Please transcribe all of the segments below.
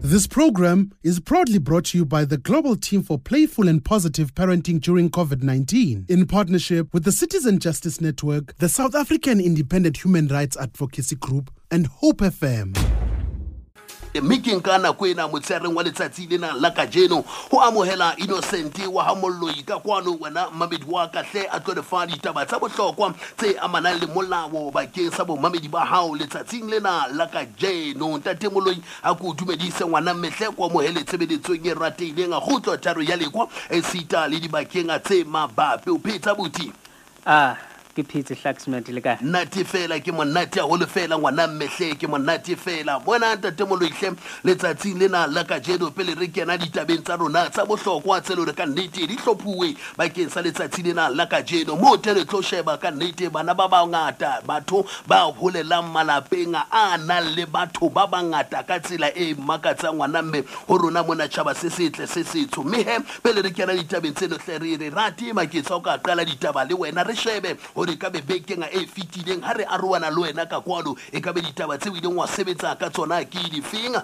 This program is proudly brought to you by the Global Team for Playful and Positive Parenting during COVID-19 in partnership with the Citizen Justice Network, the South African Independent Human Rights Advocacy Group, and Hope FM. Mme ke nka nako ena motsheareng wa letsatsi lena la kajeno ho amohela Innocent wa ha Molloi ka kwano, wena mmamedi wa ka hle, a tlo re fa ditaba tsa bohlokwa tse amanang le molao bakeng sa bomamedi ba hao letsatsing lena la kajeno. Ntate Moloi, a ko dumedise ngwana mmehle, ko amohele tshebeletsong e ratehileng a kgutlo tharo ya lekwa esita le dibakeng tse mabapi. O phetsa buti? Ah, ke phetse, Hlaxmet, le kae? Nate fela, ke monate haholo fela ngwana mmehle, ke monate fela. Bona ntate Moloihle, letsatsing lena la kajeno, pele re kena ditabeng tsa rona tsa bohlokwa tse le hore ka nnete di hlophuwe bakeng sa letsatsi lena la kajeno, moo te re tlo sheba ka nnete bana ba bangata, batho ba holelang malapeng a nang le batho ba bangata ka tsela e makatsang ngwana mme ho rona mona tjhaba se setle se setsho. Mme he, pele re kena ditabeng tseno hle, re re rate maketsa o ka qala ditaba le wena, re shebe hore ka be bekeng e fetileng ha re arohana le wena ka kwano, e ka be ditaba tseo ileng wa sebetsa ka tsona ke difeng?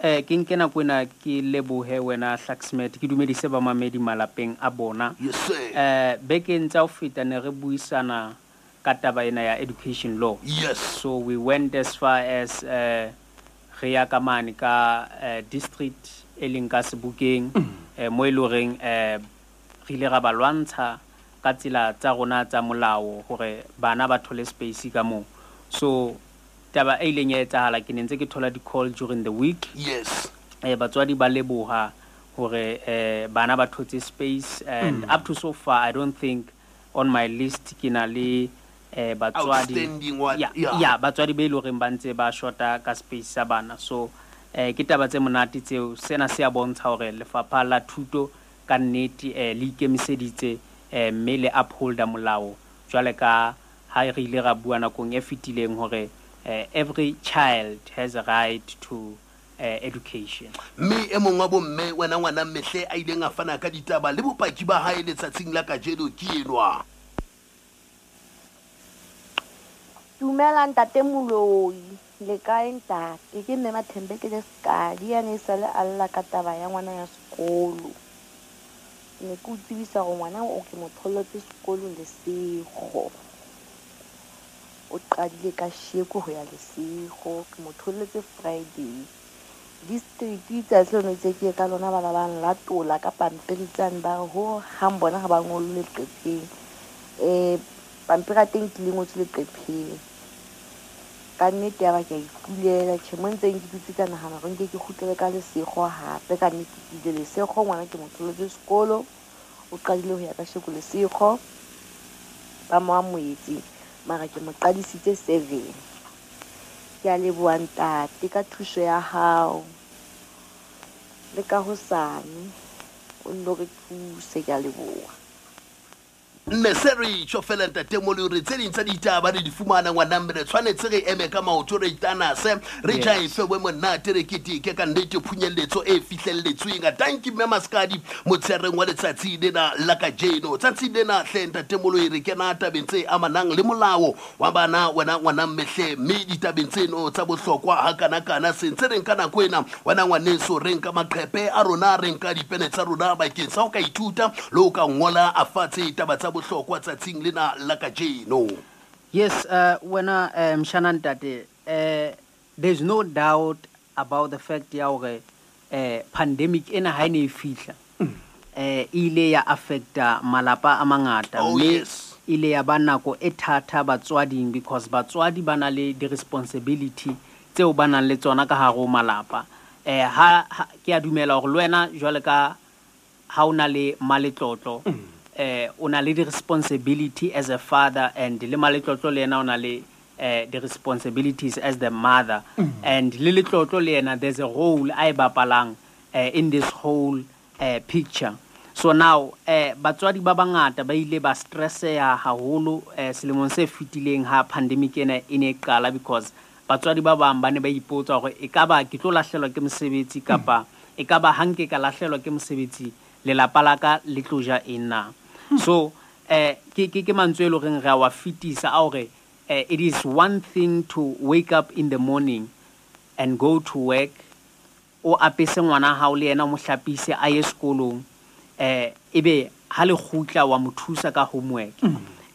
Ke nke nako ena ke lebohe wena Hlaxmet, ke dumedise bamamedi malapeng a bona. Yes sir. Bekeng tsa ho feta ne re buisana ka taba ena ya education law. So we went as far as re ya ka mane ka district e leng ka Sebokeng, mo e leng horeng re ile ra ba lwantsha ka tsela tsa rona tsa molao hore bana ba thole space ka moo. So taba e ileng ya etsahala, ke ne ntse ke thola di-call during the week. Batswadi ba leboha hore bana ba thotse space, and up to so far I don't think on my list ke na le batswadi outstanding one. Yeah, yeah, batswadi be leng horeng ba ntse ba shota ka space sa bana. So ke taba tse monate tseo. Sena se a bontsha hore lefapha la thuto ka nnete le ikemiseditse, mme le upholda molao jwale ka ha re ile ra bua nakong e fetileng hore every child has a right to education. Mme e mong wa bomme, wena ngwana mmehle, a ileng a fana ka ditaba le bopaki ba hae letsatsing la kajeno ke enwa. Dumela ntate Moloi, le kae ntate? Ke mme Mathembe ke le Sekadi, ya ne e sale a lla ka taba ya ngwana ya sekolo. Ne ke o tsebisa hore ngwana o ke mo tholletse sekolong Lesego. O qadile ka sheko ho ya Lesego, ke mo tholletse Friday. District tsatsi leno itse ke ye ka lona, bana ba nlatola ka pampiri tsane, ba re ho hang bona ha ba ngolle leqepheng. Pampiri ya teng ke le ngotswe leqepheng. Ka nnete ya ba ke a ikulela, tjhe, mo ntseng ke dutse ka nahana hore nke ke kgutlele ka Lesego hape. Ka nnete ke ile Lesego, ngwana ke mo tholletse sekolo, o qadile ho ya ka sheko Lesego, ba mo amohetse, mara ke mo qadisitse 7. Ke a leboha ntate ka thuso ya hao, le ka hosane o nno re thuse, ke a leboha. Nne se re tjho fela ntate Moloi, re tse ding tsa ditaba re di fumana ngwana mme re tshwanetse re eme ka maoto, re itanase, re jaife bo monate, re keteke ka nnete phunyelletso e fihlelletsweng. Tanki mme Maskadi motsheareng wa letsatsi lena la kajeno. Tsatsi lena hle ntate Moloi, re kena tabeng tse amanang le molao wa bana, wena ngwana mmehle, mme ditabeng tseno tsa bohlokwa hakanakana se ntse re nka nako ena wena ngwaneso, re nka maqhepe a rona, re nka dipene tsa rona bakeng sa ho ka ithuta le ho ka ngola a fatshe taba tsa bohlokwa tsatsing lena la kajeno. Yes, wena mshana ntate, there's no doubt about the fact ya hore pandemic ena ha e ne e fihla, e ile ya affecta malapa a mangata, mme ile ya ba nako e thata batswading, because batswadi ba na le di-responsibility tseo ba nang le tsona ka hare ho malapa. Ha ke a dumela hore le wena jwale ka ha o na le maletlotlo, o na le di-responsibility as a father, and le maletlotlo le yena o na le the responsibilities as the mother, and le letlotlo le yena there's a role a e bapalang in this whole picture. So now batswadi ba bangata ba ile ba stresseha haholo selemong se fetileng ha pandemic ena e ne e qala, because batswadi ba bang ba ne ba ipotsa hore e ka ba ke tlo lahlelwa ke mosebetsi, kapa e ka ba ha nke ka lahlelwa ke mosebetsi lelapa la ka le tlo ja eng na. So ke mantswe e leng horeng re a wa fetisa a hore it is one thing to wake up in the morning and go to work. o apese ngwana hao le yena o mo hlapise a ye sekolong, ebe ha le kgutla wa mo thusa ka homework.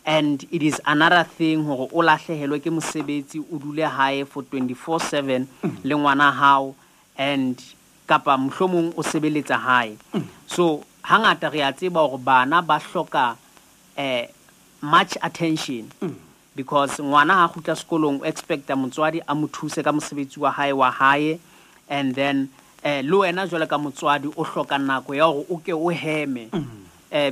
And it is another thing hore o lahlehelwe ke mosebetsi, o dule hae for 24/7 le ngwana hao, and kapa mohlomong o sebeletsa hae. So hangata re a tseba hore bana ba hloka much attention, because ngwana ha kgutla sekolong o expecta motswadi a mo thuse ka mosebetsi wa hae wa hae, and then le wena jwalo ka motswadi o hloka nako ya hore o ke o heme,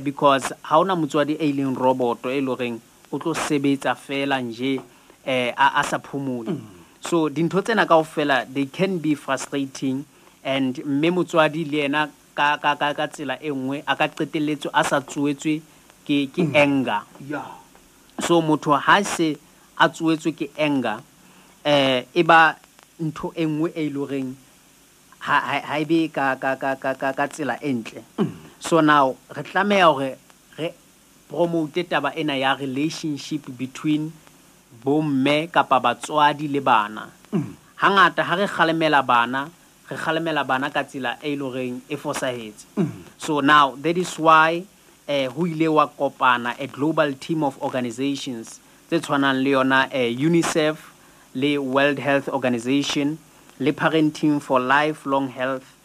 because ha ona motswadi e leng robot e loreng o tlo sebetsa fela nje a sa phomole. So dintho tsena kaofela they can be frustrating, and mme motswadi le yena ka ka ka ka tsela e nngwe a ka qetelletswe a sa tsoetswe ke anger. So motho ha se a tsoetswe ke anger, e ba ntho e nngwe e loreng ha e be ka ka ka ka ka ka tsela e ntle. So now re tlameha hore re promote taba ena ya relationship between bomme kapa batswadi le bana. Hangata ha re kgalemela bana, re kgalemela bana ka tsela e loreng e fosahetse. So now that is why ho ile wa kopana a global team of organizations tse tshwanang le yona UNICEF le World Health Organization le Parenting for Lifelong Health,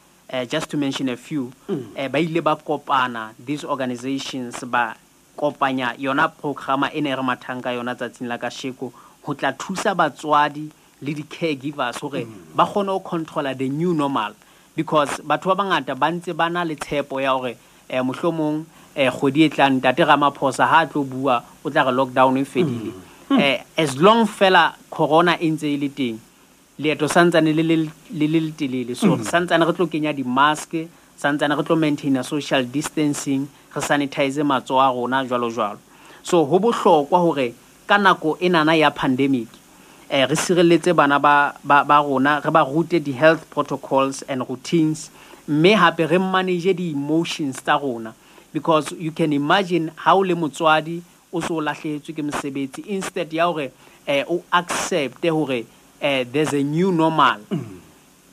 just to mention a few. Ba ile ba kopana these organizations, ba kopanya yona programa e ne re mathang ka yona tsatsing la kasheko ho tla thusa batswadi le di-caregivers hore ba kgone ho controla the new normal, because batho ba bangata ba ntse ba na le tshepo ya hore mohlomong kgwedi e tlang ntate Ramaphosa ha a tlo bua o tla re lockdown e fedile. As long fela corona e ntse e le teng, leeto santsane le le le letelele. So santsane re tlo kenya di-mask, santsane re tlo maintaina social distancing, re sanitize matsoho a rona jwalo jwalo. So ho bohlokwa hore ka nako enana ya pandemic re sireletse bana ba rona, re ba rute di-health protocols and routines, mme hape re manage di-emotions tsa rona, because you can imagine ha o le motswadi o so lahlehetswe ke mosebetsi, instead ya hore o accepte hore there's a new normal,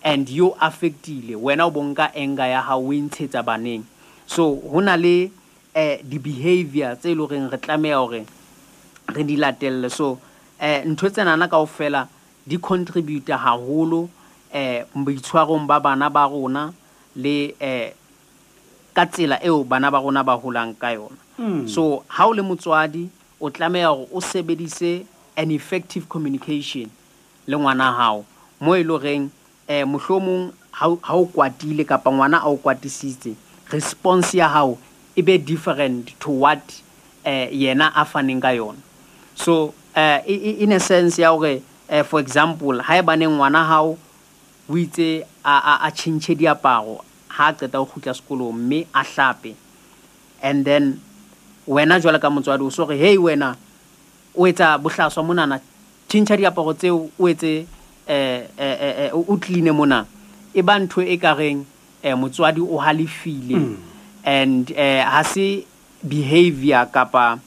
and you affectile wena o bonka anger ya hao o e ntshetsa baneng. So ho na le di-behavior tse leng horeng re tlameha hore re di latelle. So ntho tsenana kaofela di contribute haholo boitshwarong ba bana ba rona le ka tsela eo bana ba rona ba holang ka yona. So ha o le motswadi o tlameha hore o sebedise an effective communication le ngwana hao, mo e loreng mohlomong ha o kwatile kapa ngwana a o kwatisitse, response ya hao e be different to what yena a faneng ka yona. So in a sense ya hore for example, ha ebane ngwana hao o itse a tjhentjhe diaparo ha qeta ho kgutla sekolong mme a hlape, and then wena jwalo ka motswadi o so re hey wena o etsa bohlaswa monana, tjhentjha diaparo tseo o etse o clean mona, e ba ntho e ka reng motswadi o halefile, and ha se behavior kapa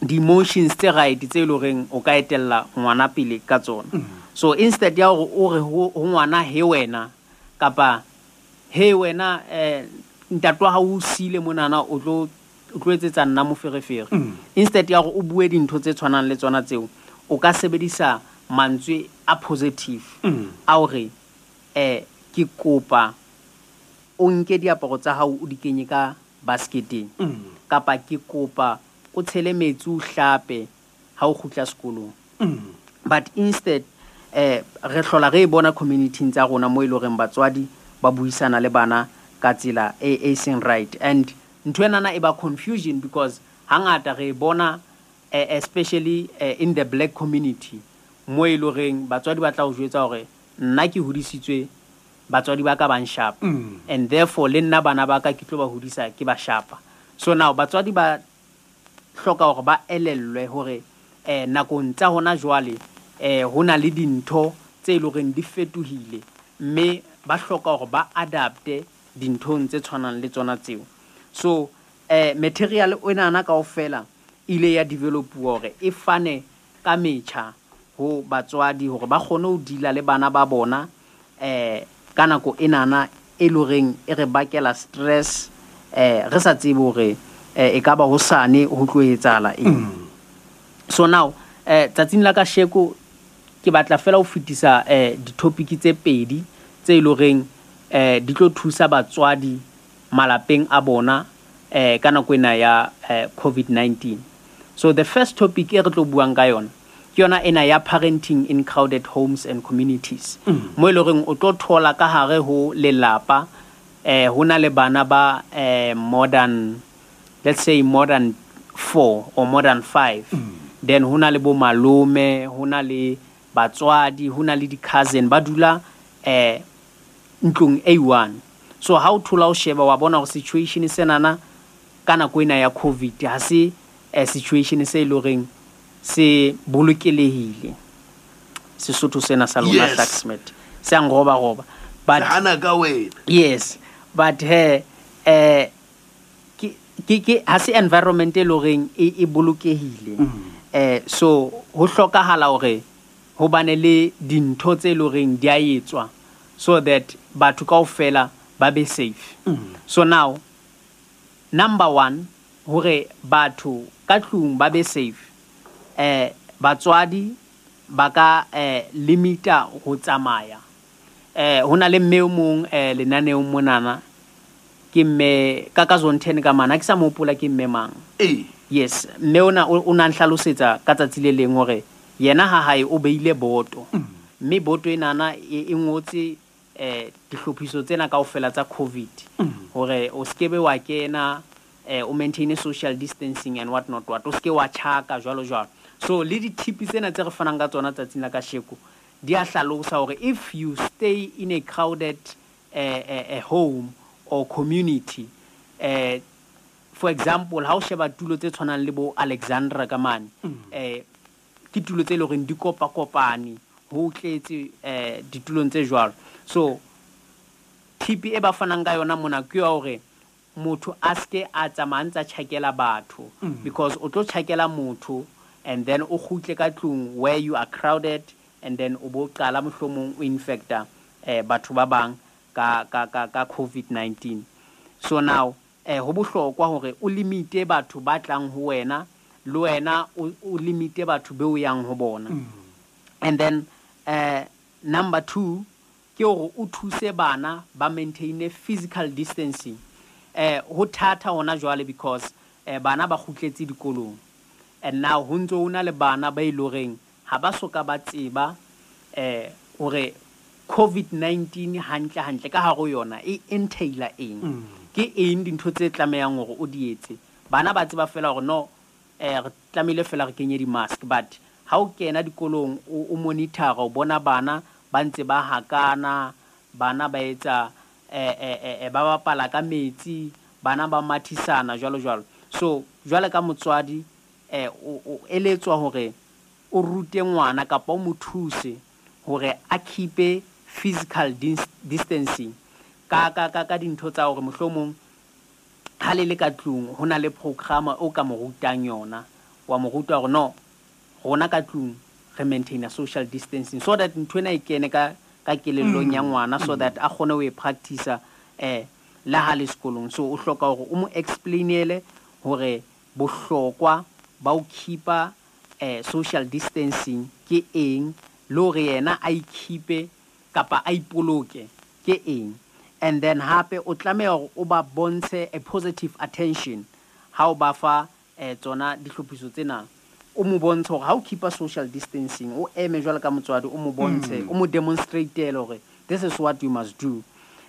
di-emotions tse right tse loreng o ka etella ngwana pele ka tsona. So instead ya hore o re ho ngwana he wena kapa he wena ntate wa hao o siile monana o tlo etsetsa nna moferefere, instead ya hore o bue dintho tse tshwanang le tsona tseo, o ka sebedisa mantswe a positive a hore ke kopa o nke diaparo tsa hao o di kenye ka basketeng, kapa ke kopa o tshele metsi o hlape ha o kgutla sekolong. But instead re hlola re bona community tsa rona mo e loreng batswadi ba buisana le bana ka tsela e seng right, and ntho enana e ba confusion because hangata re bona especially in the black community mo e loreng batswadi ba tla o jwetsa hore nna ke hodisitswe batswadi ba ka ba nshapa, and therefore le nna bana ba ka ke tlo ba hodisa ke ba shapa. So now batswadi ba hloka hore ba elellwe hore nakong tsa hona jwale ho na le dintho tse loreng di fetohile, mme ba hloka hore ba adapte dinthong tse tshwanang le tsona tseo. So material enana kaofela ile ya developuwa hore e fane ka metjha ho batswadi hore ba kgone ho deala le bana ba bona ka nako enana e loreng e re bakela stress, re sa tsebe hore e ka ba hosane ho tlo etsahala eng. So now tsatsing la kasheko ke batla fela ho fetisa di-topic tse pedi tse e loreng di tlo thusa batswadi malapeng a bona ka nako ena ya COVID-19. So the first topic e re tlo buang ka yona ke yona ena ya parenting in crowded homes and communities. Mo e loreng o tlo thola ka hare ho lelapa ho na le bana ba more than, let's say more than 4 or more than 5. Then ho na le bo malome, ho na le batswadi, ho na le di-cousin ba dula ntlong e one. So ha o thola o sheba wa bona hore situation senana ka nako ena ya COVID ha se situation se e loreng se bolokelehile. Sesotho sena sa lona. Yes. Hlaxmet se a nroba roba, but hana ka wena. Yes, but he ke ha se environment e loreng e bolokehile. So ho hlokahala hore ho bane le dintho tse loreng di a etswa so that batho kaofela ba be safe. So now number 1, hore batho ka tlung ba be safe, batswadi ba ka limita ho tsamaya. Ho na le mme o mong lenaneong monana, ke mme ka zone 10 ka mana, ke sa mo hopola ke mme mang. Yes, mme ona o na nhlalosetsa ka tsatsi le leng hore yena ha hae o beile boto. Mme boto enana e ngotse dihlophiso tsena kaofela tsa COVID, hore o skebe wa kena, o maintain social distancing and what not what, o ske wa tjhaka jwalo jwalo. So le di-tips tsena tse re fanang ka tsona tsatsing la kasheko di a hlalosa hore if you stay in a crowded home or community, for example ha o sheba tulo tse tshwanang le bo Alexandra ka mane, ke tulo tse leng hore di kopakopane, ho tletse ditulong tse jwalo. So tip e ba fanang ka yona mona ke ya hore motho a ske a tsamaya ntsa tjhakela batho, because o tlo tjhakela motho and then o kgutle ka tlung where you are crowded, and then o bo qala mohlomong o infecta batho ba bang ka ka ka ka COVID-19. So now ho bohlokwa hore o limite batho ba tlang ho wena, le wena o limite batho be o yang ho bona. And then number 2 ke hore o thuse bana ba maintain physical distancing. Ho thata hona jwale because bana ba kgutletse dikolong, and now ho ntso ho na le bana ba iloreng ha ba soka ba tseba hore COVID-19 hantle hantle ka hare ho yona e entaila eng, ke eng dintho tse tlamehang hore o di etse. Bana ba tseba fela hore no, re tlamehile fela re kenye di-mask, but ha o kena dikolong o monitor, o bona bana ba ntse ba hakana, bana ba etsa ba bapala ka metsi, bana ba mathisana jwalo jwalo. So jwale ka motswadi o eletswa hore o rute ngwana kapa o mo thuse hore a keep physical distancing ka ka ka ka dintho tsa hore mohlomong ha le le ka tlung ho na le program o ka mo rutang yona, wa mo ruta hore no, rona ka tlung re maintain social distancing so that ntho ena e kene ka ka kelellong ya ngwana, so that a kgone ho e practice la ha le sekolong. So o hloka hore o mo explainele hore bohlokwa ba ho keepa social distancing ke eng, le hore yena a ikeepe kapa a ipoloke ke eng. And then hape o tlameha hore o ba bontshe a positive attention ha o ba fa tsona dihlophiso tsena. O mo bontshe hore ha o keepa social distancing, o eme jwalo ka motswadi, o mo bontshe, o mo demonstrate hore this is what you must do.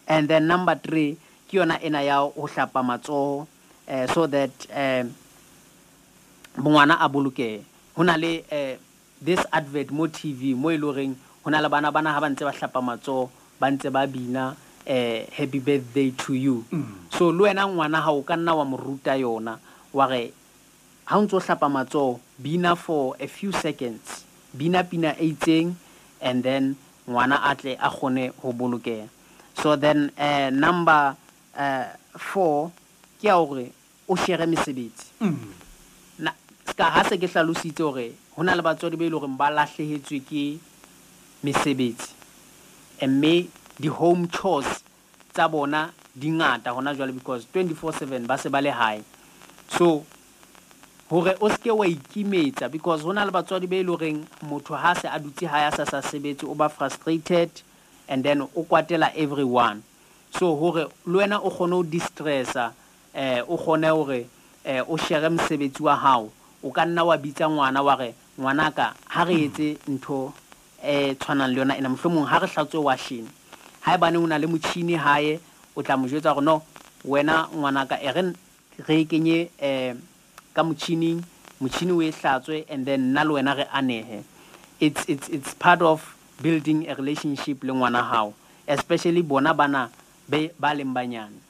And then number 3 ke yona ena ya ho hlapa matsoho, so that ngwana a bolokehe. Ho na le this advert mo TV mo e loreng ho na le bana bana ha ba ntse ba hlapa matsoho, ba ntse ba bina happy birthday to you. So le wena ngwana ha o ka nna wa mo ruta yona wa re ha o ntso hlapa matsoho, bina for a few seconds, bina pina e itseng, and then ngwana a tle a kgone ho bolokeha. So then number 4 ke ya hore o share mesebetsi. Na ska ha se ke hlalositse hore ho na le batswadi ba ile hore ba lahlehetswe ke mesebetsi, mme di-home chores tsa bona di ngata hona jwale because 24/7 ba se ba le hae. So hore o seke wa ikimetsa, because hona le batswadi be le horeng motho ha se a dutse hae a sa sa sebetse, o ba frustrated and then o kwatela everyone. So hore le wena o kgone ho distressa, o kgone hore o share mosebetsi wa hao, o ka nna wa bitsa ngwana wa re, ngwanaka, ha re etse ntho e tshwanang le yona ena, mohlomong ha re hlatswe washene. Haebane o na le motjhini hae, o tla mo jwetsa hore no, wena ngwanaka, e re re e kenye ka motjhining, motjhini o e hlatswe, and then nna le wena re anehe. It's part of building a relationship le ngwana hao, especially bona bana be ba leng banyane.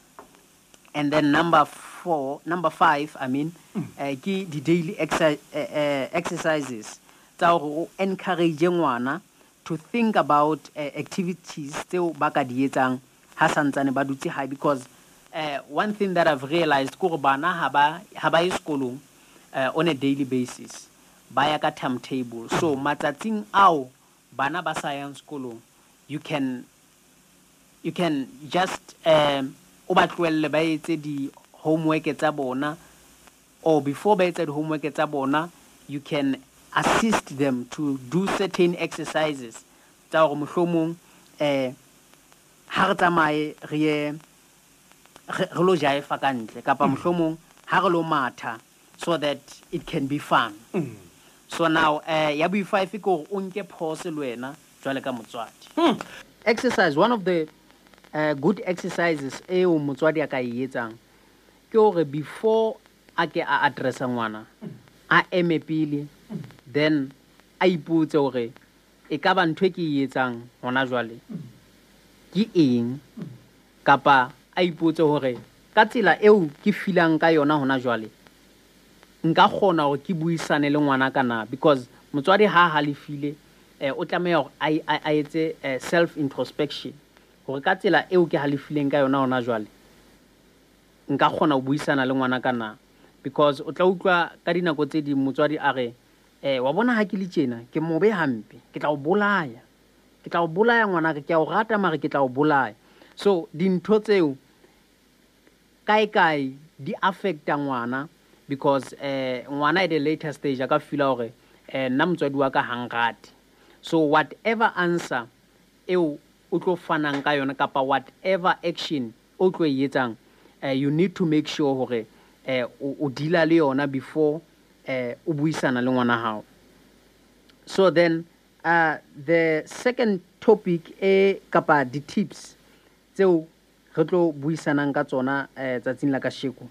And then number 5, I mean, ke di daily exercises tsa hore o encourage ngwana to think about activities tseo ba ka di etsang ha santsane ba dutse hae, because one thing that I've realized ke hore bana ha ba ye sekolong on a daily basis, ba ya ka timetable. So matsatsing ao bana ba sa yang sekolong, you can just o ba tlohelle ba etse di homework tsa bona, or before ba etsa di homework tsa bona, you can assist them to do certain exercises tsa hore mohlomong ha re tsamaye re ye re lo jaefa ka ntle, kapa mohlomong ha re lo matha, so that it can be fun. So now ya bo 5 ke hore o nke pause le wena jwale ka motswadi. Exercise, one of the good exercises eo motswadi a ka e etsang ke hore before a ke a addressa ngwana, a eme pele, then a ipotse hore e ka ba ntho e ke e etsang hona jwale ke eng, kapa a ipotse hore ka tsela eo ke feelang ka yona hona jwale nka kgona hore ke buisane le ngwana ka na, because motswadi ha halefile o tlameha hore a etse self introspection hore ka tsela eo ke halefileng ka yona hona jwale nka kgona ho buisana le ngwana ka na. Because o tla utlwa ka dinako tse ding motswadi a re, wa bona ha ke le tjena ke mobe hampe, ke tla o bolaya, ke tla o bolaya ngwana ke a o rata mare ke tla o bolaya. So dintho tseo kae kae di affecta ngwana, because ngwana at a later stage a ka feela hore nna motswadi wa ka ha nrate. So whatever answer eo o tlo fanang ka yona kapa whatever action o tlo e etsang, you need to make sure hore o deala le yona before o buisana le ngwana hao. So then the second topic e kapa di tips tseo re tlo buisanang ka tsona tsatsing la kasheko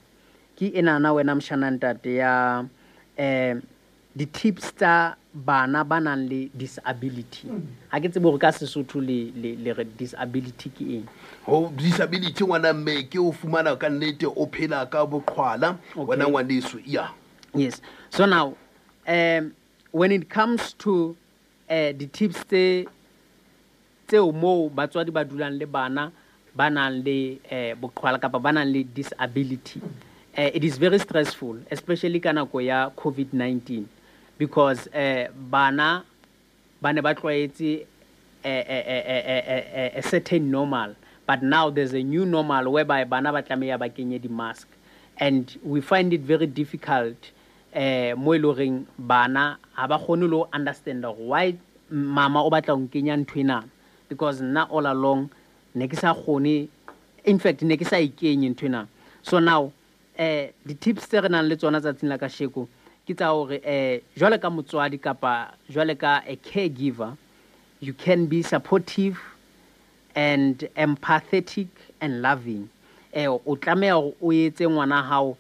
ke enana wena mshana ntate ya di tips tsa bana ba nang le disability. Ha ke tsebe hore ka Sesotho le re disability ke eng. Ho disability ngwana mme ke o fumana ka nnete o phela ka boqhwala wena ngwaneso. Yeah. Yes. So now when it comes to the tips tseo moo batswadi ba dulang le bana ba nang le boqhwala kapa ba nang le disability, it is very stressful, especially ka nako ya COVID-19, because bana ba ne ba tlwaetse a certain normal, but now there's a new normal whereby bana ba tlameha ba kenye di-mask, and we find it very difficult mo e leng horeng bana ha ba kgone le ho understand why mama o batla ho nkenya ntho ena, because nna all along ne ke sa kgone, in fact ne ke sa ikenye ntho ena. So now di tips tse re nang le tsona tsatsing la kasheko ke tsa hore jwale ka motswadi kapa jwale ka a caregiver, you can be supportive and empathetic and loving. O tlameha hore o etse ngwana hao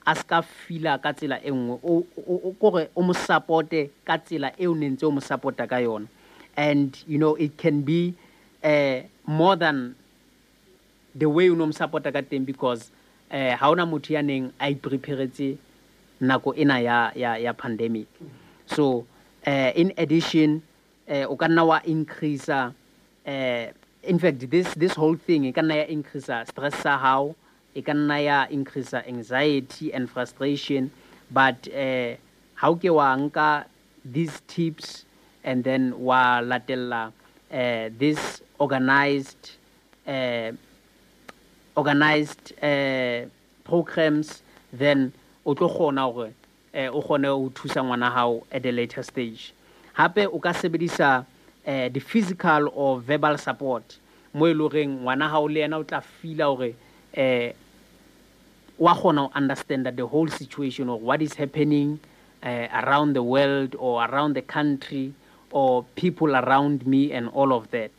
a ska feela ka tsela e nngwe, o kore o mo supporte ka tsela eo ne ntse o mo supporta ka yona. And you know, it can be more than the way o no mo supporta ka teng, because ha ona motho ya neng a ipreparetse nako ena ya pandemic. So in addition, o ka nna wa increase, in fact this whole thing e ka nna ya increase stress sa hao, e ka nna ya increase anxiety and frustration, but ha o ke wa nka these tips and then wa latella this organized organized programs, then o tlo kgona hore o kgone ho thusa ngwana hao at a later stage. Hape o ka sebedisa the physical or verbal support mo e leng horeng ngwana hao le yena o tla feela hore wa kgona ho understand the whole situation or what is happening around the world or around the country or people around me and all of that.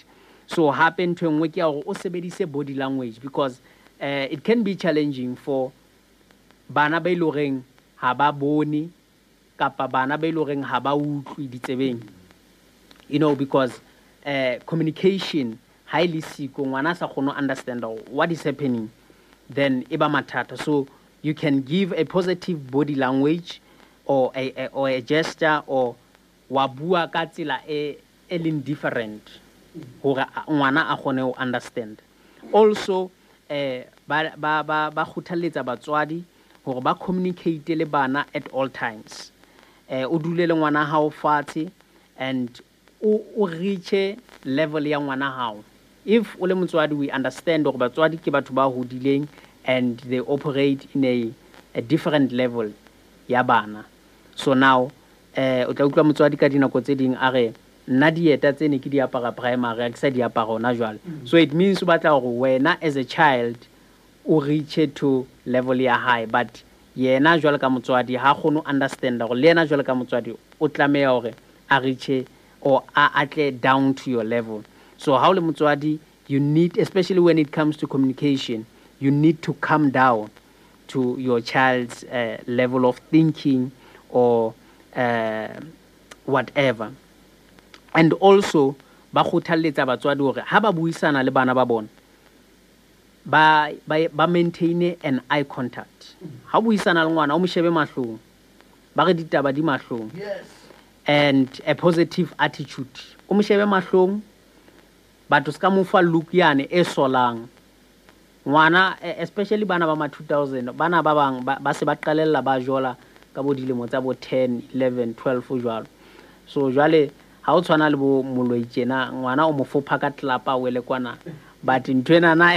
So hape ntho e nngwe ke ya hore o sebedise body language, because it can be challenging for bana ba e leng horeng ha ba bone kapa bana ba e leng horeng ha ba utlwe ditsebeng, you know, because communication ha e le siko, ngwana a sa kgone ho understand what is happening, then e ba mathata. So you can give a positive body language or a gesture, or wa bua ka tsela e leng different hore ngwana a kgone ho understand. Also ba kgothalletsa batswadi hore ba communicate le bana at all times. O dule le ngwana hao fatshe and o reach level ya ngwana hao. If o le motswadi, we understand hore batswadi ke batho ba hodileng and they operate in a different level ya bana. So now o tla utlwa motswadi ka dinako tse ding a re nna dieta tse ne ke di apara primary ha ke sa di apara hona jwale. So it means o batla hore wena as a child o reach to level ya high, but yena jwale ka motswadi ha kgone ho understand hore le yena jwale ka motswadi o tlameha hore a reach or a atle down to your level. So ha o le motswadi, you need, especially when it comes to communication, you need to come down to your child's level of thinking or whatever. And also ba kgothalletsa batswadi hore ha ba buisana le bana ba bona ba maintain an eye contact. Ha buisana le ngwana o mo shebe mahlong, ba re ditaba di mahlong. Yes. And a positive attitude. O mo shebe mahlong, but o ska mo fa look yane e solang. Ngwana, especially bana ba ma 2000, bana ba bang ba se ba qalella ba jola ka bo dilemo tsa bo 10, 11, 12 jwalo. So jwale ha o tshwana le bo moloi tjena, ngwana o mo fopha ka tlapa o wele kwana. But nthwena na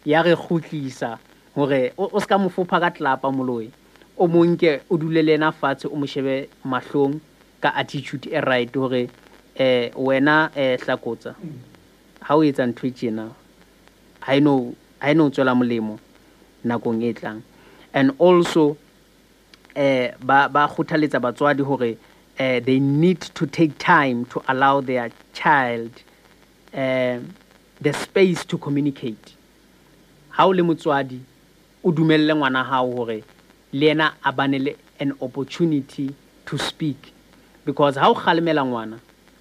ya re kgutlisa hore o ska mo fopha ka tlapa moloi. O monke o dule le yena fatshe, o mo shebe mahlong ka attitude e right hore wena hlakotsa. Ha o etsa ntho e tjena, ha eno tswela molemo nakong e tlang. And also ba kgothaletsa batswadi hore they need to take time to allow their child the space to communicate. Ha o le motswadi, o dumelle ngwana hao hore le yena a bane le an opportunity to speak. Because ha o kgalemela ngwana,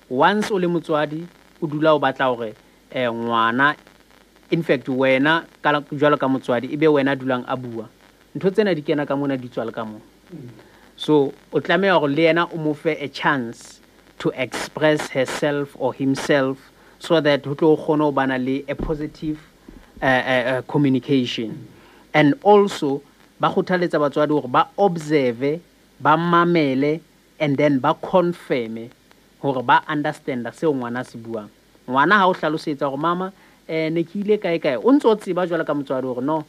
once o le motswadi, o dula o batla hore ngwana, in fact wena jwalo ka motswadi, ebe wena dulang a bua. Ntho tsena di kena ka mona, di tswa le ka mona. So o tlameha hore le yena o mo fe a chance to express herself or himself, so that ho tlo kgone ho bana le a positive communication. And also ba kgothaletsa batswadi hore ba observe, ba mamele, and then ba confirm hore ba understand seo ngwana se buang. Ngwana ha o hlalosetsa hore mama ne ke ile kae kae, o ntso o tseba jwalo ka motswadi hore no,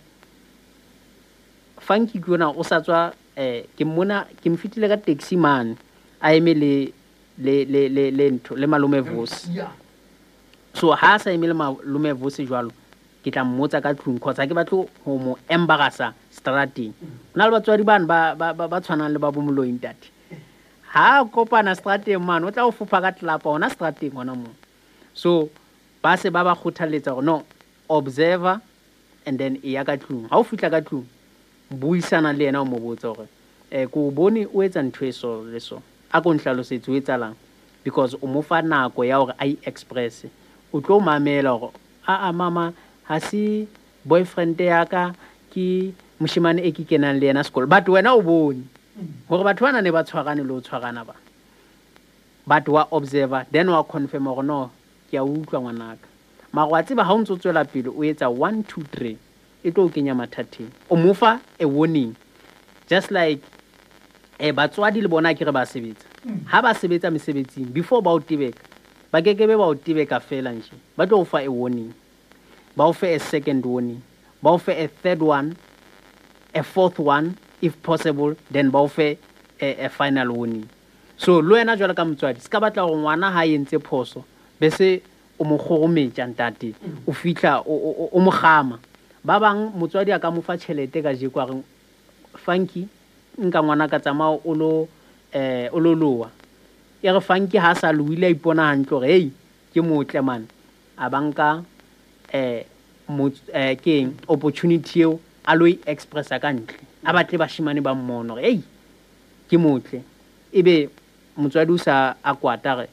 Funky ke yona o sa tswa, ke mmona ke mfitile ka taxi man a eme le le le le le ntho le malome Vusi. So ha sa eme le malome Vusi jwalo, ke tla mmotsa ka tlung cause ha ke batle ho mo embarrassa strateng. Hona le batswadi bana ba tshwanang le ba bo moloi ntate. Ha kopana strateng man, o tla o fopha ka tlapa hona strateng hona moo. So ba se ba ba kgothaletsa hore no, observer and then e ya ka tlung. Ha o fihla ka tlung, buisana le yena o mo botsa hore ko bone o etsa ntho e so le so, a ko nhlalosetse o etsalang, because o mo fa nako ya hore a i-express. O tlo mamela hore a mama ha se boyfriend ya ka, ke moshemane e ke kenang le yena sekolo. But wena o bone hore batho bana ne ba tshwarane le ho tshwarana ba, but wa observer then wa confirm hore no, ke a utlwa ngwanaka. Mara wa tseba ha o ntso tswela pele o etsa 1 2 3, e tlo o kenya mathateng. O mo fa a warning, just like batswadi le bona ke re ba sebetsa. Ha ba sebetsa mesebetsing, before ba o tebeka, ba kekebe ba o tebeka fela nje, ba tlo o fa a warning. Ba o fe a second warning, ba o fe a third one, a fourth one if possible, then ba o fe a final warning. So le wena jwalo ka motswadi, se ka batla hore ngwana ha entse phoso bese o mo kgorometsa ntate, o fihla o mo kgama. Ba bang motswadi a ka mo fa tjhelete kajeko a reng, Funky, nka ngwana ka tsamaya o lo o lo loa. E re Funky ha sa loile a ipona hantle hore hey, ke motle man, a banka keng opportunity eo a lo e expressa ka ntle, a batle bashemane ba mmone hore hey, ke motle. Ebe motswadi o sa a kwata re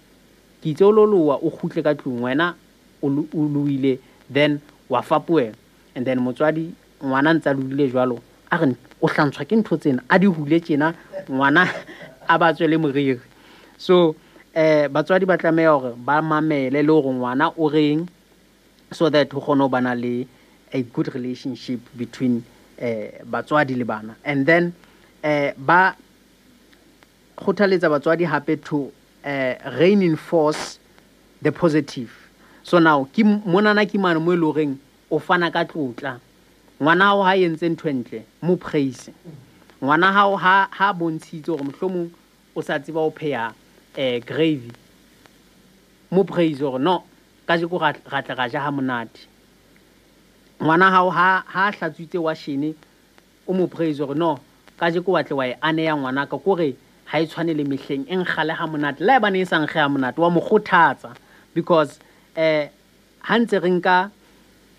ke itse o lo loa, o kgutle ka tlung wena o loile, then wa fapohela. And then motswadi ngwana ntsa loile jwalo, a re o hlantshwa ke ntho tsena, a di hule tjena ngwana a ba tswele moriri. So batswadi ba tlameha hore ba mamele le hore ngwana o reng, so that ho kgone ho bana le a good relationship between batswadi le bana. And then ba kgothaletsa batswadi hape to reinforce the positive. So now ke monana ke mane mo e leng horeng o fana ka tlotla. Ngwana hao ha entse ntho e ntle, mo praise. Ngwana hao ha bontshitse hore mohlomong o sa tseba ho pheha gravy, mo praise hore no, kajeko ra tla ra ja ha monate. Ngwana hao ha hlatswitse washene, o mo praise hore no, kajeko wa tle wa e aneya ngwanaka, kore ha e tshwane le mehleng, e nkgale ha monate. Le haebane e sa nkge ha monate, wa mo kgothatsa, because ha ntse re nka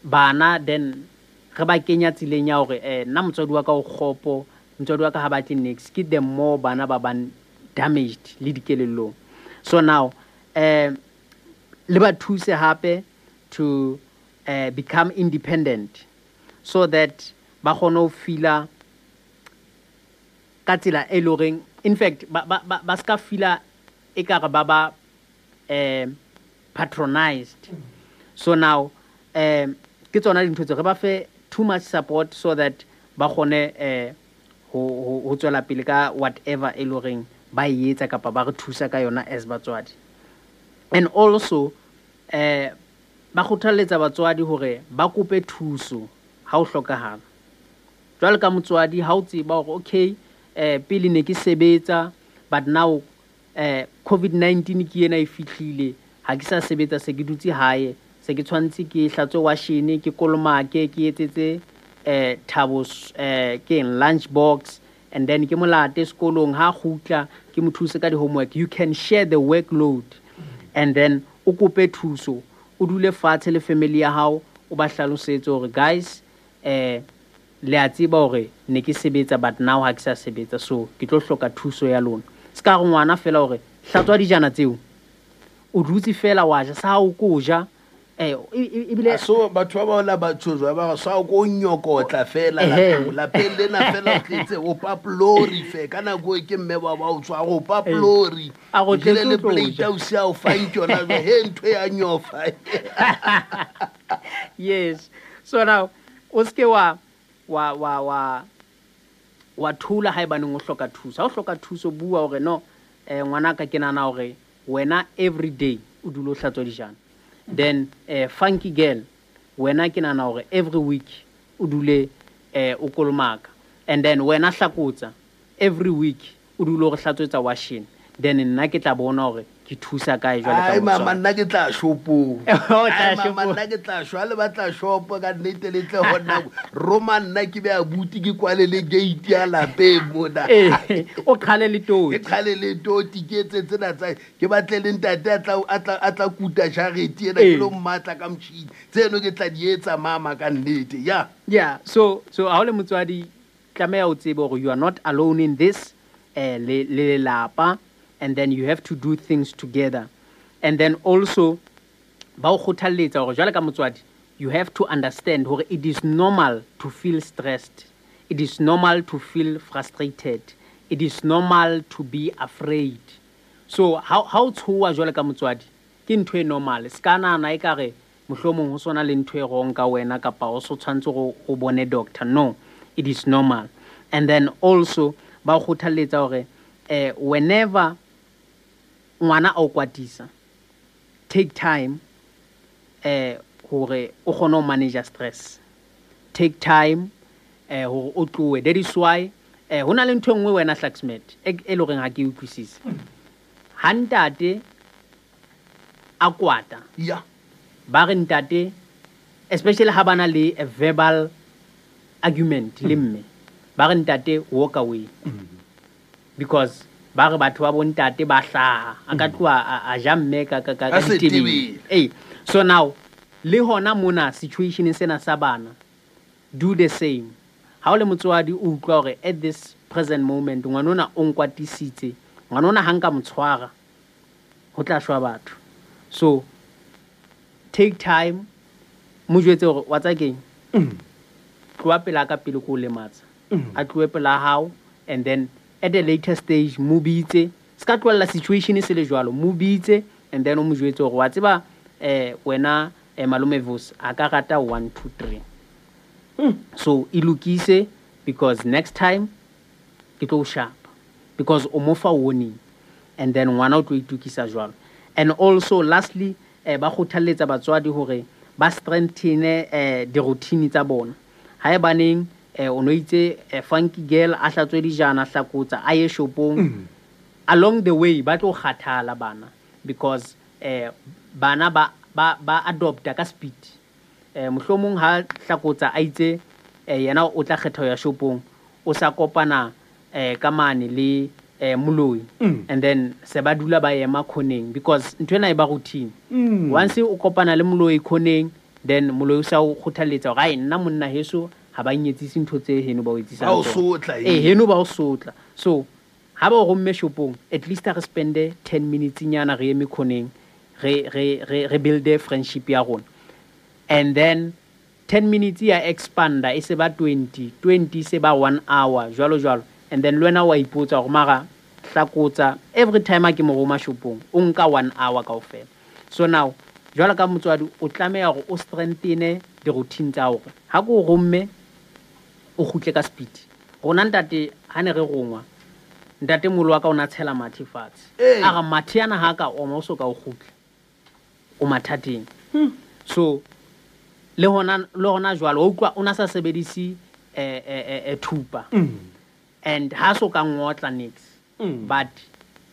bana then re ba kenya tseleng ya hore nna motswadi wa ka o kgopo, motswadi wa ka ha batle niks, ke the more bana ba bang damaged le dikelellong. So now le ba thuse hape to become independent, so that ba kgone ho feela ka tsela e leng horeng, in fact ba ska feela ekare ba ba patronized. So now ke tsona dintho tse re ba fe too much support, so that ba kgone ho tswela pele ka whatever e leng horeng ba e etsa kapa ba re thusa ka yona as batswadi. And also ba kgothaletsa batswadi hore ba kope thuso ha ho hlokahala. Jwalo ka motswadi ha o tseba hore okay, pele ne ke sebetsa, but now COVID-19 ke ena e fihlile, ha ke sa sebetsa, se ke dutse hae, se ke tshwantse ke hlatswe washene, ke kolomake, ke etsetse Thabo ke eng lunch box, and then ke molate sekolong, ha kgutla ke mo thuse ka di-homework. You can share the workload, and then o kope thuso, o dule fatshe le family ya hao, o ba hlalosetse hore guys, le a tseba hore ne ke sebetsa, but now ha ke sa sebetsa, so ke tlo hloka thuso ya lona. Se ka re ngwana fela hore hlatswa dijana tseo, o dutse fela wa ja, sa o ko ja, ebile so batho ba baola ba tshozwa ba sa o ko nyokotla fela lapeng lena fela o tletse o paplori fe ka nako e ke mme ba ba o tswa go paplori a go tletse le plate o sia o fang tsona he ntho ya nyofa. Yes. So now o ske wa wa wa wa wa thula haebaneng o hloka thuso. Ha o hloka thuso, bua hore no, ngwanaka ke nahana hore wena every day o dule o hlatswa dijana. Then funky girl, wena ke nahana hore every week o dule o kolomaka. And then wena hlakotsa every week o dule o re hlatswetsa washene. Then nna ke tla bona hore ke thusa kae jwale ka Ai mama, motswadi. nna ke tla shopong. O tla Ai mama, shopong. nna ke tla shwa le batla shopo ka nnete le tle ho nna. Roma nna ke be abuti ke kwale le gate ya lapeng mona. O qhale le toti. Ke qhale le toti, ke etse tsena tsa, ke batle le ntate a tla kuta jarete ena, ke lo mmatla ka motjhini. Tseno ke tla di etsa mama ka nnete. Yeah. Yeah, so ha o le motswadi tlameha o tsebe hore you are not alone in this, le lelapa, and then you have to do things together. And then also ba o kgothalletsa hore jwale ka motswadi you have to understand hore it is normal to feel stressed, it is normal to feel frustrated, it is normal to be afraid. So ha o tshoha jwale ka motswadi ke ntho e normal. Se ka nahana ekare mohlomong ho sona le ntho e wrong ka wena kapa o so tshwantse go bone doctor. No, it is normal. And then also ba o kgothalletsa hore whenever ngwana a o kwatisa, take time ho hore o kgone ho manage stress. Take time hore o tlohe. That is why ho na le ntho e nngwe wena Hlaxmet e leng horeng ha ke utlwisise. Ha ntate a kwata, ba re ntate, especially ha bana le a verbal argument le mme, ba re ntate walk away. Because ba re batho ba bo ntate ba hlaha, a ka tloha a ja mme ka ditebele. Hey, so now le hona mona situation sena sa bana, do the same. Ha o le motswadi o utlwa hore at this present moment ngwanona o nkwatisitse, ngwanona ha nka motshwara ho tla shwa batho. So take time, mo jwetse hore wa tsa keng, tloha pela ka pele ko lematsa, a tlohe pela hao, and then at a later stage mo bitse, ska tlohella situation se le jwalo, mo bitse and then o mo jwetse hore wa tseba wena malome Vos a ka rata 1 2 3. So e lokise, because next time ke tlo sharp, because o mo fa warning, and then ngwana o tlo itukisa jwalo. And also lastly, ba kgothalletsa batswadi hore ba strengthene di-routine tsa bona. Ha e baneng o no itse funky girl a hlatswe dijana hlakotsa a ye shopong, along the way ba tlo kgathala bana, because bana ba adopta ka speed. Mohlomong ha hlakotsa a itse yena o tla kgetha ya shopong, o sa kopana ka mane le moloi, and then se ba dula ba ema khoneng, because ntho ena e ba routine. Once o kopana le moloi khoneng, then moloi o sa o kgothaletsa hore ai nna monna heso ha ba nyetsise ntho tse heno ba o etsisang ba o sotla, heno ba o sotla. So ha ba o romme shopong, at least re spende 10 minutes nyana re eme khoneng, re build friendship ya rona. And then 10 minutes ya expanda e se ba 20 se ba 1 hour jwalo jwalo. And then le wena wa ipotsa hore mara hlakotsa every time a ke mo roma shopong o nka 1 hour kaofela. So now jwalo ka motswadi o tlameha hore o strengthene di-routine tsa hore ha ko romme o kgutle ka speed. Rona ntate ha ne re rongwa, ntate molo wa ka o na tshela mathe fatshe, a re mathe ana ha ka oma o so ka o kgutle o mathateng. So le hona jwalo o utlwa o na sa sebedise thupa, and ha so ka ngotla nix, but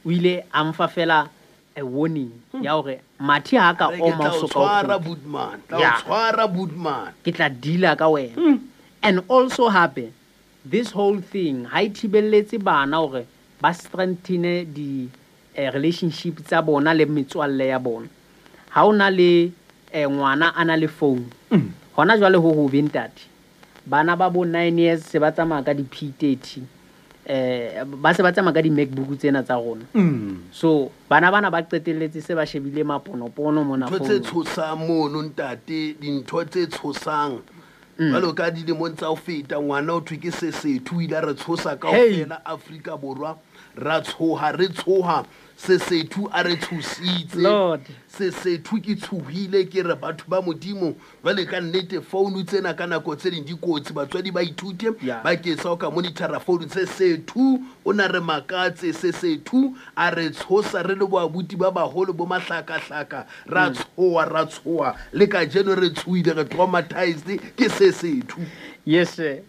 o ile a mfa fela a warning ya hore mathe ha ka oma o so ka tshwara Budman, tla tshwara Budman, ke tla deala ka wena. And also hape this whole thing ha ithibelletse bana hore ba strengthene di relationship tsa bona le metswalle ya bona. Ha ona le ngwana a na le phone, hona jwale ho hobe ntate, bana ba bo 9 years se ba tsamaya ka di P30, ba se ba tsamaya ka di MacBook tsena tsa rona. So bana bana ba qetelletse se ba shebile maponopono mona phone. Ntho tse tshosang mono ntate, dintho tse tshosang jwalo ka dilemong tsa ho feta, ngwana o thwe ke Sesethu, o ile a re tshosa kaofela Afrika Borwa, ra tshoha re tshoha, Sesethu a re tshositse. Sesethu ke tshohile, ke re batho ba Modimo jwale ka nnete phone tsena ka nako tse ding di kotsi, batswadi ba ithute ba ke sa o ka monitora phone. Sesethu o na re makatse, Sesethu a re tshosa re le boabuti ba baholo bo mahlakahlaka, ra tshoha ra tshoha, le kajeno re tshohile, re traumatized ke Sesethu. Yes sir.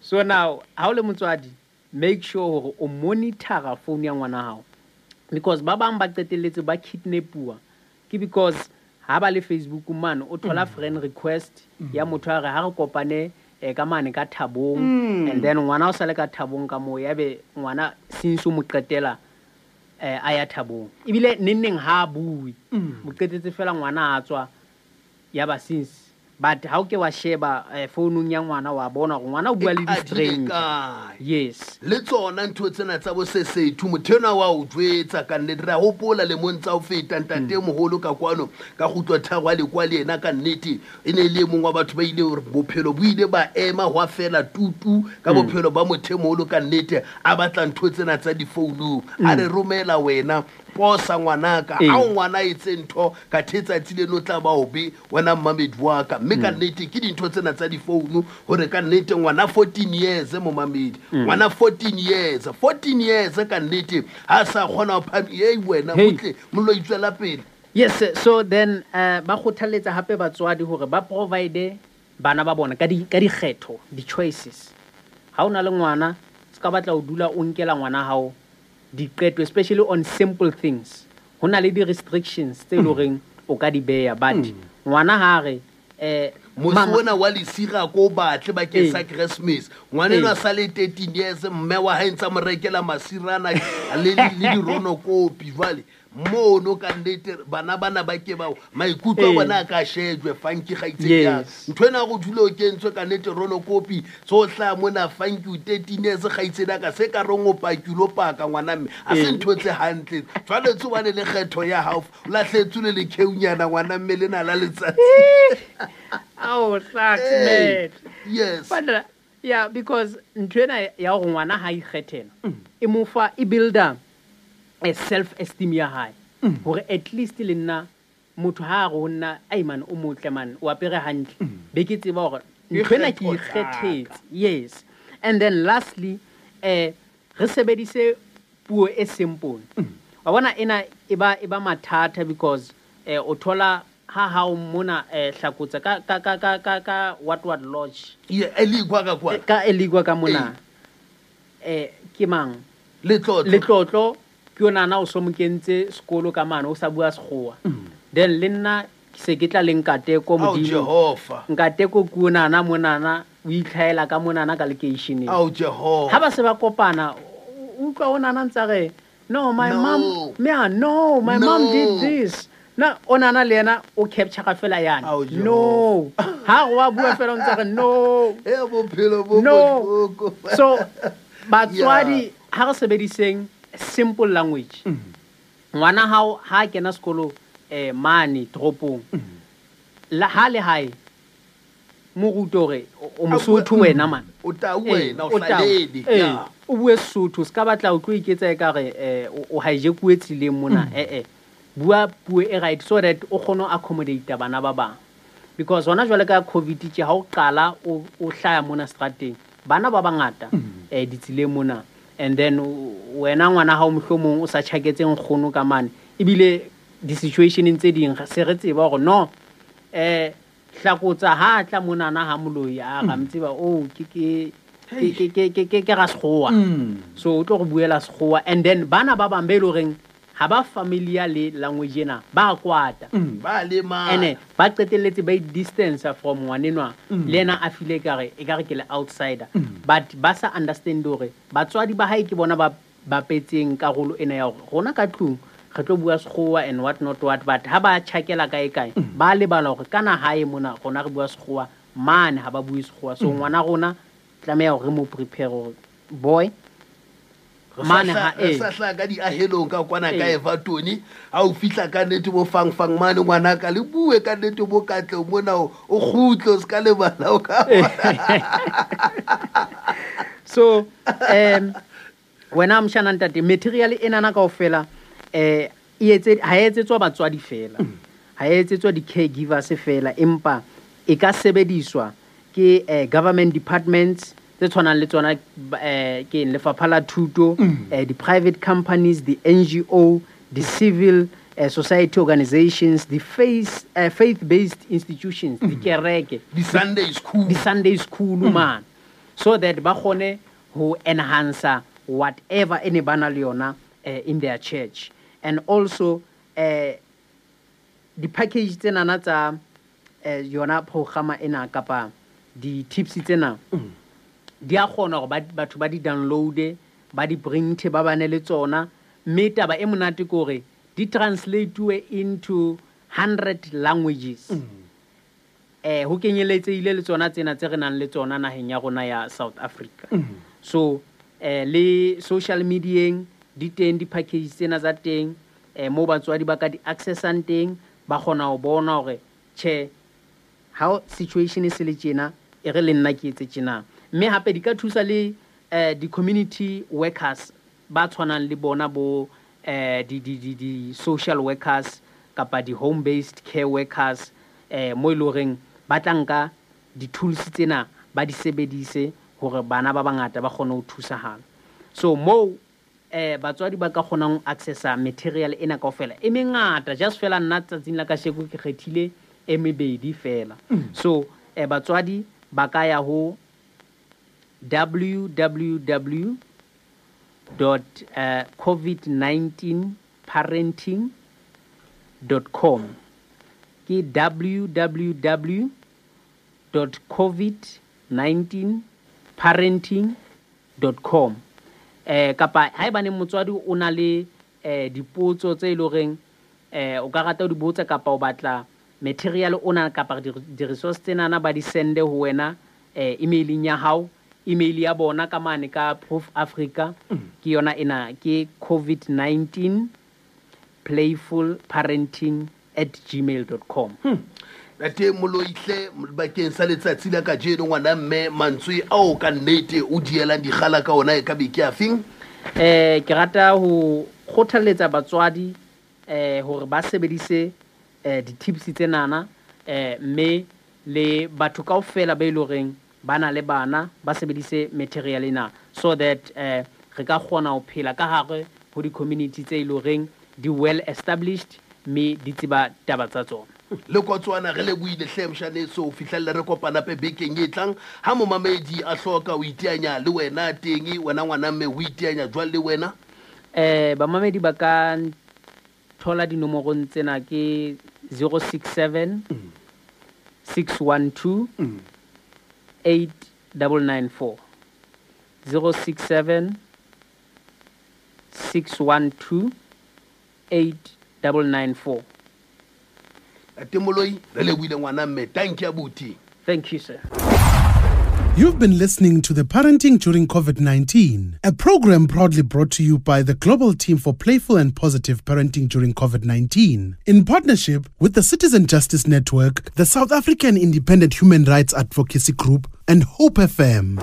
So now ha o le motswadi, make sure hore o monitora phone ya ngwana hao, because ba bang ba qetelletse ba kidnapuwa ke because ha ba le Facebook man o thola friend request ya motho a re ha re kopane ka mane ka Thabong, and then ngwana o sale ka Thabong ka moo, ya be ngwana since o mo qetela a ya Thabong, ebile nenneng ha bue, mo qetetse fela ngwana a tswa ya ba since. But ha o ke wa sheba founung ya ngwana wa bona gore ngwana o bua le di-stranger. Yes, le tsona ntho tsena tsa bo Sesethu, motho enwa wa o jwetsa ka nnete. Re a hopola lemong tsa ho feta ntate moholo ka kwano ka kgutlo tharo a le kwa le yena, ka nnete e ne le e mong wa batho ba ile hore bophelo bo ile ba ema hwa fela tutu ka bophelo ba motho e moholo ka nnete, a batla ntho tsena tsa difounung, a re romela wena posa ngwanaka, ha o ngwana etse ntho ka thetsatsi leno tla ba obe wena mmamedi wa ka. Mme ka nnete ke dintho tsena tsa difounu hore ka nnete ngwana 14 years momamedi, ngwana 14 years ka nnete ha sa kgona ho phami, ei wena botle mollo itswela pele. Yes, so then ba kgothaletsa hape batswadi hore ba provide bana ba bona ka dikgetho, di-choices. Ha o na le ngwana, se ka batla ho dula o nkela ngwana hao diqeto, especially on simple things. Ho na le di-restrictions tse leng horeng o ka di beha, but ngwana ha re Mose ona wa lesira ko batle bakeng sa Christmas. Ngwana enwa sa le 13 years, mme wa hae ntsa mo rekela masirana le dironokopi jwale. Mono ka nnete bana bana ba ke bao maikutlo a bona a ka shejwe Funky kgaitsedi ya. Ntho ena go dule o kentswe ka nnete ronokopi tso hlaha mona Funky o 13 years kgaitsedi ya ka se ka reng o pakile o paka ngwana mme a se ntho tse hantle. Jwale tso bane le kgetho ya hao o lahletswe le lekheunyana ngwana mme lena la letsatsi. Oh, sucks, man. Yes. But yeah, because ntho ena ya hore ngwana ha ikgethela e mo fa e builder a self-esteem ya hae. Hore at least le nna motho ha a re ho nna, ai man, o motle man, o apere hantle. Be ke tseba hore ntho ena ke ikgethetse. Yes. And then lastly, re sebedise puo e simple. Wa bona ena e ba mathata because o thola ha hao mona hlakotsa ka what lodge. Yeah, eligwa ka kwa. Ka eligwa ka mona. Ke mang? Letlotlo. Letlotlo. Ke yona na o so mo kentse sekolo ka mane o sa bua sekgowa. Then le nna ke se ke tla le Nkateko modimo. Jehova. Nkateko ke yona monana o itlhaela ka monana ka lekeisheneng. Ao Jehova. Ha ba se ba kopana o utlwa o nana ntsa re no my mom, yeah, no my mom did this. Na o nana le yena o capture ka fela yana. No. Ha go wa bua fela o ntsa re no. E bophelo bo bohloko. So batswadi ha re sebediseng simple language. Ngwana hao ha kena sekolo mane toropong. La ha le hae mo rute hore o Mosotho wena man. O tau wena o hlalele. O bue Sesotho se ka batla o tlo iketsa ekare o hijack-uwe tseleng mona. Bua puo e right so that o kgone ho accommodate bana ba bang. Because hona jwale ka COVID tje ha o qala o hlaya mona strateng bana ba bangata ditseleng mona. And then wena ngwana hao mohlomong o sa tjhaketse nkgono ka mane ebile di-situation tse ding se re tseba hore no hlakotsa ha tla monana ha moloi a ra mtseba o ke ra sekgowa. So o tlo re buela sekgowa and then bana ba bang be le horeng ha ba familiar le language ena ba kwata ba lema ene ba qetelletse ba distance from ngwanenwa le ena a file kare e kare ke le outsider but ba sa understand hore batswadi ba hae ke bona ba bapetseng karolo ena ya hore rona ka tlung re tlo bua sekgowa and what not what but ha ba tjhakela kae kae ba lebala hore kana hae mona rona re bua sekgowa mane ha ba bue sekgowa so ngwana rona tlameha hore re mo prepare hore boy mane ha e sa hla ka di ahelong ka kwana ka Everton ha o fihla ka nnete bo fang fang mane ngwana ka le bue ka nnete bo katle mona o kgutlo se ka lebala o ka so wena mshana ntate material ena na kaofela e etse ha etsetswa batswadi fela ha etsetswa di caregivers fela empa e ka sebediswa ke government departments tse tshwanang le tsona ke lefapha la thuto the private companies, the NGO, the civil society organizations, the faith-based institutions, the kereke, the Sunday school, the Sunday school man, so that ba kgone ho enhance whatever ene bana le yona in their church. And also the package tsena tsa yona programa ena kapa di tips tsena di a kgona hore batho ba di download, ba di print, ba bane le tsona mme taba e monate ke hore di translate into 100 languages. Ho kenyeletsehile le tsona tsena tse re nang le tsona naheng ya rona ya South Africa. So le social media di teng di package tsena tsa teng mo batswadi ba ka di accessang teng ba kgona ho bona hore che how situation e se le tjena e re le nna ke etse tjena. Mme hape di ka thusa le di community workers ba tshwanang le bona bo di social workers kapa di home based care workers mo e loreng ba tla nka di tools tsena ba di sebedise hore bana ba bangata ba kgone ho thusahala. So mo batswadi ba ka kgonang ho accessa material ena kaofela e mengata. Just fela nna tsatsing la kasheko ke kgethile e mebedi fela. So batswadi ba ka ya ho www dot covid19 parenting dot com, ke www dot covid19 parenting dot com. Kapa haebane motswadi o na le dipotso tse e leng horeng o ka rata ho di botsa, kapa o batla material ona kapa di-resource tsenana ba di sende ho wena emaileng ya hao, email ya bona ka mane ka Proof Africa, ke yona ena, ke covid19 playful parenting at gmail dot com. Ntate Moloihle, bakeng sa letsatsi la kajeno ngwana mme, mantswe ao ka nnete o dielang dikgala ka ona e ka be ke a feng? Ke rata ho kgothalletsa batswadi hore ba sebedise di-tips tsenana, mme le batho kaofela ba e leng horeng ba na le bana ba sebedise material ena, so that re ka kgona ho phela ka hare ho di-community tse e leng horeng di well established mme di tseba taba tsa tsona. Le kotswana re lebohile hle moshaneso, ho fihlella re kopana hape bekeng e tlang. Ha momamedi a hloka ho iteanya le wena teng, wena ngwana mme o iteanya jwang le wena? Bamamedi ba ka thola dinomorong tsena ke 067 612 8994, 067 612 8994. Ntate Moloi, re lebohile ngwana mme, thank you abuti. Thank you, sir. You've been listening to the Parenting During COVID-19, a program proudly brought to you by the Global Team for Playful and Positive Parenting During COVID-19, in partnership with the Citizen Justice Network, the South African Independent Human Rights Advocacy Group, and Hope FM.